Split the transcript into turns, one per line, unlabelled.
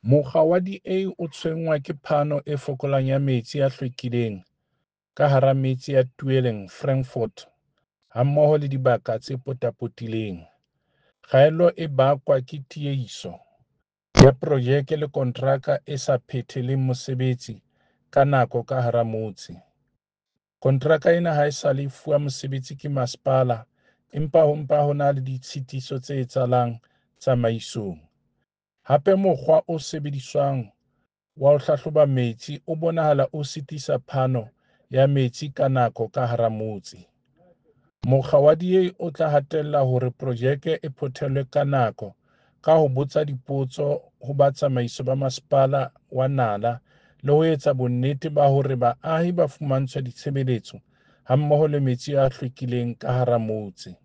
Mokga wa DA o tshwenngwa ke phano e fokolang ya metsi a hlwekileng ka hara metse ya Tweeling, Frankfort hammoho le dibaka tse potapotileng. Kgaello e bakwa ke tiehiso ya projeke le kontraka e sa phetheleng mosebetsi ka nako ka hara motse. Kontraka ena haesale e fuwa mosebetsi ke masepala empa ho mpa ho na le ditshitiso tse etsahalang tsamaisong. Hape mokgwa o sebediswang wa ho hlahloba metsi o bonahala o sitisa phano ya metsi ka nako ka hara motse. Mokga wa DA o tla hatella hore projeke e phethelwe ka nako ka ho botsa dipotso ho ba tsamaiso ba masepala wa Nala le ho etsa bonnete ba hore baahi ba fumantshwa ditshebeletso hammoho le metsi a hlwekileng ka hara motse.